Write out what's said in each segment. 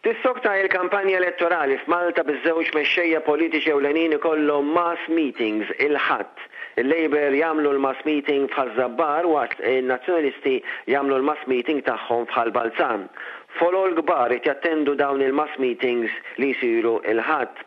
Tissokta il-kampanja elettorali f'Malta biż-żewġ mexxejja politiċi ewlenin ikollhom mass meetings il-Ħadd. Il-Labour jagħmlu l-mass meeting f'Ħaż-Żabbar waqt in-Nazzjonalisti jagħmlu l-mass meeting tagħhom f'Ħal Balzan. Folol kbar qed jattendu dawn il-mass meetings li jsiru l-Ħadd.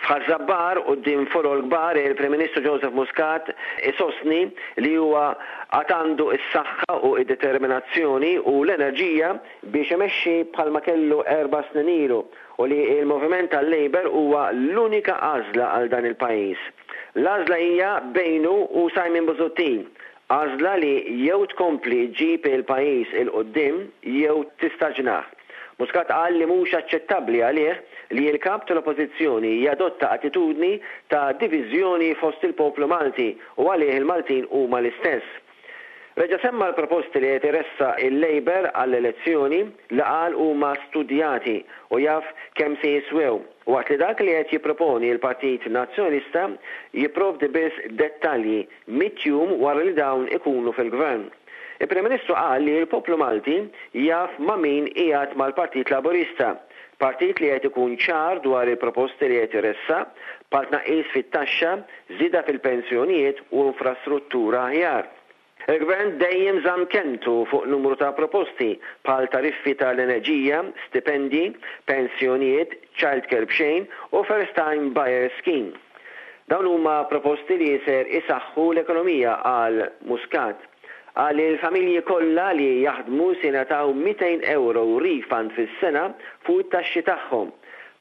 F'Ħaż-Żabbar quddiem folol kbar il-Prim Ministru Joseph Muscat isostni li huwa għad għandu s-saħħa u d-determinazzjoni u l-enerġija biex imexxi bħalma kellu erba' snin ilu u li l-moviment tal-Labour huwa l-unika għażla għal dan il-pajjiż. L-għażla hija bejnu u Simon Busuttil, għażla li jew tkompli ġġib il-pajjiż 'il quddiem jew tistaġnah. Muscat qal li mhux aċċettabbli għalih li l-Kap tal-Oppożizzjoni jadotta attitudni ta' diviżjoni fost il-poplu Malti u għalih il-Maltin huma l-istess. Reġa' semma l-proposti li qed iressaq il-Labour għall-elezzjoni li qal huma studjati u jaf kemm se jiswew, waqt li dak li qed jipproponi l-Partit Nazzjonalista jipprovdi biss dettalji mitt jum wara li dawn ikunu fil-Gvern. Il-Prim Ministru qal li l-poplu Malti jaf ma' min qiegħed mal-Partit Laburista, partit li qed ikun ċar dwar il-proposti li qed iressaq, bħal tnaqqis fit-taxxa, żieda fil-pensjonijiet u infrastruttura aħjar. Il-Gvern dejjem żamm kelmtu fuq numru ta' proposti, bħal tariffi tal-enerġija, stipendji, pensjonijiet, childcare b'xejn u first time buyers scheme. Dawn huma proposti li ser isaħħu l-ekonomija, qal Muscat. Qal li l-familji kollha li jaħdmu se jingħataw 200 ewro refund fis-sena fuq it-taxxi tagħhom.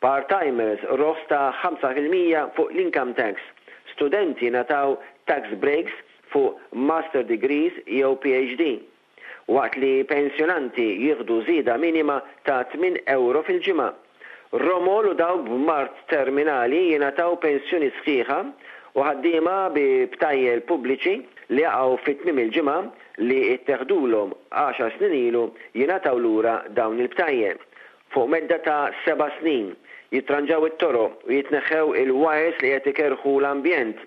Part-timers roħs ta' 5% fuq l-income tax. Studenti jingħataw tax breaks fuq master degrees jew PhD. Waqt li pensjonanti jieħdu żieda minima ta' tminn ewro fil-ġimgħa. Romol u dawk b'mard terminali jingħataw pensjoni sħiħa u ħaddiema bi btajjel pubbliċi li jaqgħu fi tmiem il-ġimgħa li tteħdulhom għaxar snin ilu jingħataw lura dawn il-btajjel. Fuq medda ta' seba' snin, jitranġaw it-toroq u jitneħħew il-wires li qed ikerrħu l-ambjent.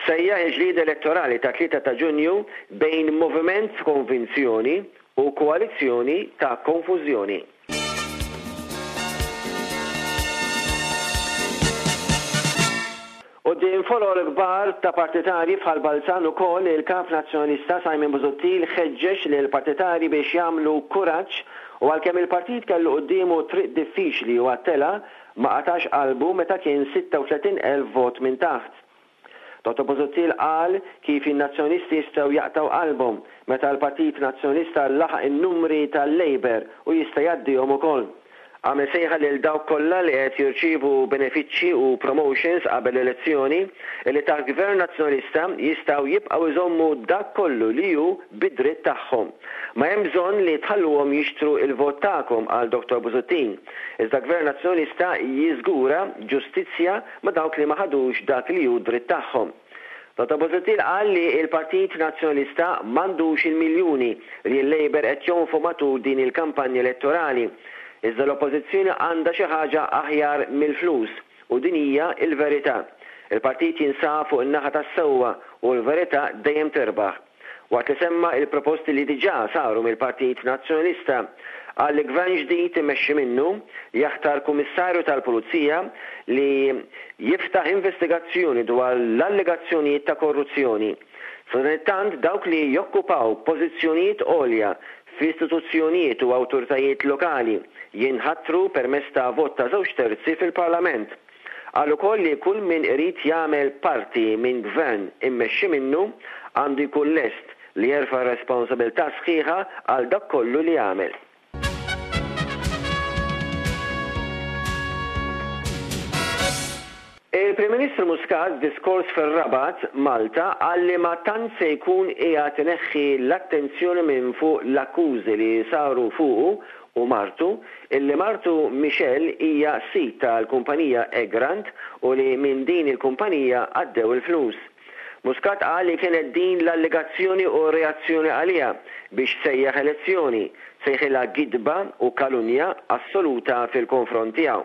Sejjaħ il-ġlieda elettorali tat-tlieta ta' Ġunju bejn moviment f'konvinzjoni u koalizzjoni ta' konfużjoni. Quddiem folol kbar ta' partitarji f'Ħal Balzan ukoll il-Kap Nazzjonalista Simon Busuttil ħeġġeġ lill-partitarji biex jagħmlu kuraġġ u għalkemm il-partit kellu quddiemu triq diffiċli u għat-telgħa, ma qatax qalbu meta kien 36,000 vot minn taħt. Dottor Busuttil qal kif in-Nazzjonalisti jistgħu jaqtgħu qalbhom meta l-Partit Nazzjonalista laħaq in-numri tal-Labour u jista' jgħaddihom ukoll. Għamel sejħa lil dawk kollha li qed jirċievu benefiċċji u promotions qabel l-elezzjoni li taħt Gvern Nazzjonalista jistgħu jibqgħu jżommu dak kollu li hu bi dritt tagħhom. Ma hemm bżonn li tħalluhom jixtru l-vot tagħkom, qal Dottor Busuttil. Iżda Gvern Nazzjonalista jiżgura ġustizzja ma' dawk li ma ħadux dak li hu dritt tagħhom. Dottor Busuttil qal li l-Partit Nazzjonalista m'għandux il-miljuni li l-Labour qed jonfqu matul din il-kampanja elettorali. Iżda l-Oppożizzjoni għandha xi ħaġa aħjar mill-flus u din hija l-verità. Il-partit jinsab fuq in-naħa tas-sewwa u l-verità dejjem tirbaħ. Waqt li semma il-proposti li diġà saru mill-Partit Nazzjonalista, qal li Gvern ġdid immexxi minnu jaħtar Kummissarju tal-Pulizija li jiftaħ investigazzjoni dwar l-allegazzjonijiet ta' korruzzjoni. Sadanittant dawk li jokkupaw pożizzjonijiet għolja f'istituzzjonijiet u awtoritajiet lokali jinħatru permezz ta' vot ta' żewġ terzi fil-Parlament. Qal ukoll li kull min irid jagħmel parti minn Gvern immexxi minnu għandu jkun lest li jerfa' r-responsabilità sħiħa għal dak kollu li jagħmel. Il-Prim Ministru Muscat f'diskors fir-Rabat, Malta, qal li ma tant se jkun qiegħed ineħħi l-attenzjoni minn fuq l-akkużi li saru fuqu u martu, illi martu Michelle hija sid tal-kumpanija Egrant u li minn din il-kumpanija għaddew il-flus. Muscat qal li kienet din l-allegazzjoni u r-reazzjoni għaliha biex sejjaħ elezzjoni, sejħilha gidba u kalunja assoluta fil-konfront tiegħu.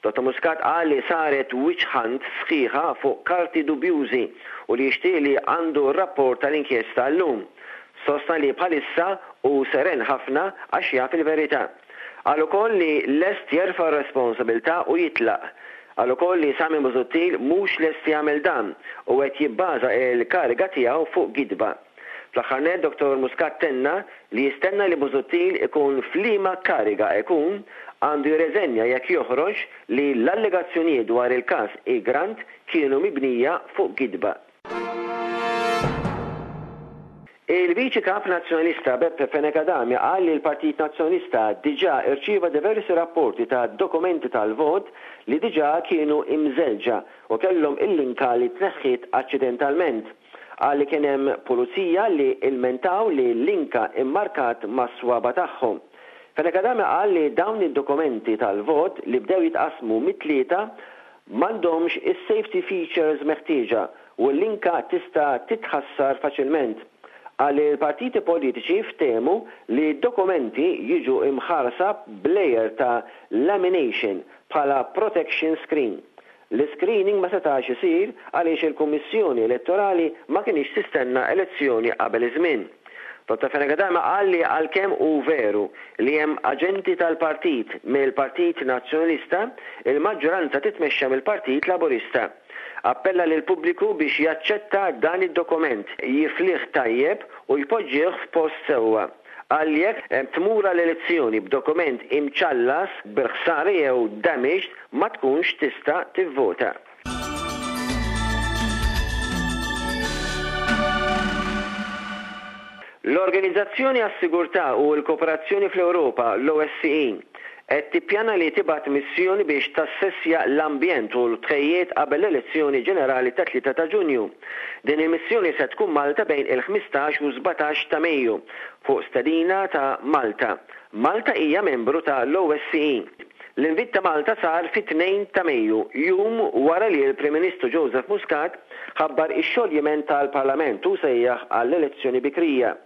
Dottor Muscat qal li saret witch hunt sħiħa fuq karti dubjużi u li jixtieq li għandu r-rapport tal-inkjesta llum. Sostna li bħalissa hu seren ħafna għax jaf il-verità. Qal ukoll li lest jerfa' r-responsabilità u jitlaq. Qal ukoll li Simon Busuttil mhux lest jagħmel dan u qed jibbaża l-kariga tiegħu fuq gidba. Fl-aħħar nett Dottor Muscat tenna li jistenna li Busuttil ikun f'liema kariga ikun, għandu jirreżenja jekk joħroġ li l-allegazzjonijiet dwar il-każ Egrant kienu mibnija fuq gidba. Il-Viċi Kap Nazzjonalista Beppe Fenech Adami qal li l-Partit Nazzjonalista diġà rċieva diversi rapporti ta' dokumenti tal-vot li diġà kienu imżellġa u kellhom il-linka li tneħħiet aċċidentalment. Qal li kien hemm pulizija li ilmentaw li l-linka immarkat mas-swaba' tagħhom. Fenech Adami qal li dawn id-dokumenti tal-vot li bdew jitqassmu mit-Tlieta m'għandhomx is-safety features meħtieġa u l-linka tista' titħassar faċilment. Qal li l-partiti politiċi ftehmu li d-dokumenti jiġu imħarsa b'layer ta' lamination bħala protection screen. L-iscreening ma setax isir għaliex il-Kummissjoni Elettorali ma kinitx tistenna elezzjoni qabel iż-żmien. Dottor Fenech Adami qal li għalkemm hu veru li hemm aġenti tal-partit mill-Partit Nazzjonalista, il-maġġoranza titmexxa mill-Partit Laburista. Appella lill-pubbliku biex jaċċetta dan id-dokument, jiflih tajjeb u jpoġġih f'post sewwa. Qal li jekk tmur għal elezzjoni b'dokument imċallas bil-ħsara jew damaged ma tkunx tista' tivvota. L-Organizzazzjoni għas-Sigurtà u l-Kooperazzjoni fl-Ewropa, l-OSCE, qed tippjana li tibgħat missjoni biex tassessja l-ambjent u l-tħejjiet qabel l-elezzjoni ġenerali tat-3 ta' Ġunju. Din il-missjoni se tkun Malta bejn il-15 u 17 ta' Mejju, fuq stedina ta' Malta. Malta hija membru ta' l-OSCE. L-invit ta' Malta sar fit-2 ta' Mejju, jum wara li l-Prim Ministru Joseph Muscat ħabbar ix-xoljiment tal-Parlament u sejjaħ għall-elezzjoni bikrija.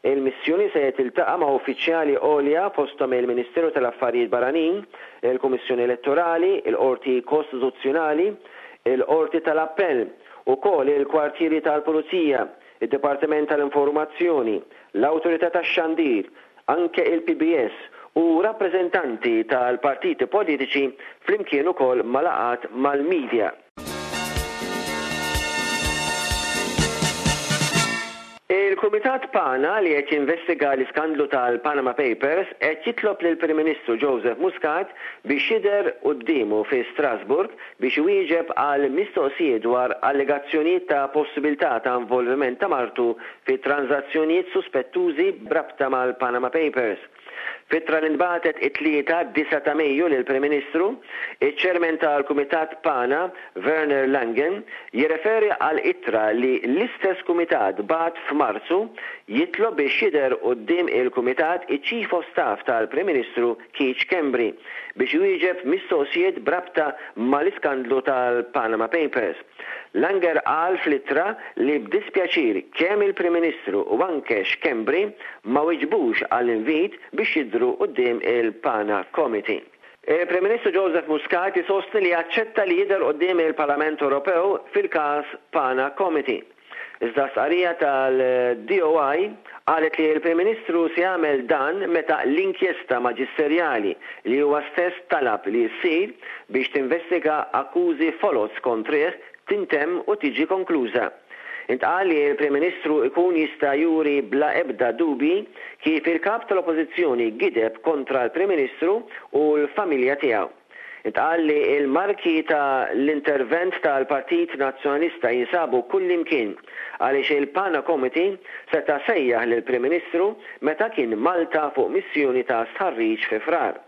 Il-missjoni se tiltaqa' ma' uffiċjali għolja fosthom il-Ministeru tal-Affarijiet Barranin, il-Kummissjoni Elettorali, il-Qorti Kostituzzjonali, il-Qorti tal-Appell, ukoll il-kwartieri tal-Pulizija, id-Dipartiment tal-Informazzjoni, l-Awtorità tax-Xandir, anke il-PBS u rappreżentanti tal-partiti politiċi flimkien ukoll ma' laqgħat mal-media. Il-Kumitat PANA li qed jinvestiga l-iskandlu tal-Panama Papers qed jitlob lill-Prim Ministru Joseph Muscat biex jidher quddiemu fi Strasbourg biex iwieġeb għal mistoqsijiet dwar allegazzjonijiet ta' possibilità ta' involviment ta' martu fi tranżazzjonijiet suspettużi b'rabta mal-Panama Papers. F'ittra li ntbagħtet it-Tlieta, 9 ta' Mejju lill-Prim Ministru, iċ-Chairman tal-Kumitat PANA, Werner Langen, jirreferi għal ittra li l-istess Kumitat bagħat f'Marzu jitlob biex jidher quddiem il-Kumitat iċ-Chief of Staff tal-Prim Ministru Keith Schembri biex iwieġeb mistoqsijiet b'rabta mal-iskandlu tal-Panama Papers. Langer qal fl-ittra li b'dispjaċir kemm il-Prim Ministru u anke Schembri ma wiġbux għall-invit biex jidhru quddiem il-Pana Committee. Il-Prim Ministru Joseph Muscat isostni li aċċetta li jidher quddiem il-Parlament Ewropew fil-każ Pana Committee. Iżda stqarrija tal-DOI qalet li l-Prim Ministru se jagħmel dan meta l-inkjesta maġisterjali li huwa stess talab li ssir biex tinvestiga akkużi foloz kontrih tintemm u tiġi konkluża. Intqal li l-Prim Ministru jkun jista' juri bla ebda dubji kif il-Kap tal-Oppożizzjoni gideb kontra l-Prim Ministru u l-familja tiegħu. Intqal li l-marki ta' l-intervent tal-Partit Nazzjonalista jinsabu kullimkien għaliex il-Pana Committee seta' sejjaħ lill-Prim Ministru meta kien Malta fuq missjoni ta' stħarriġ fi Frar.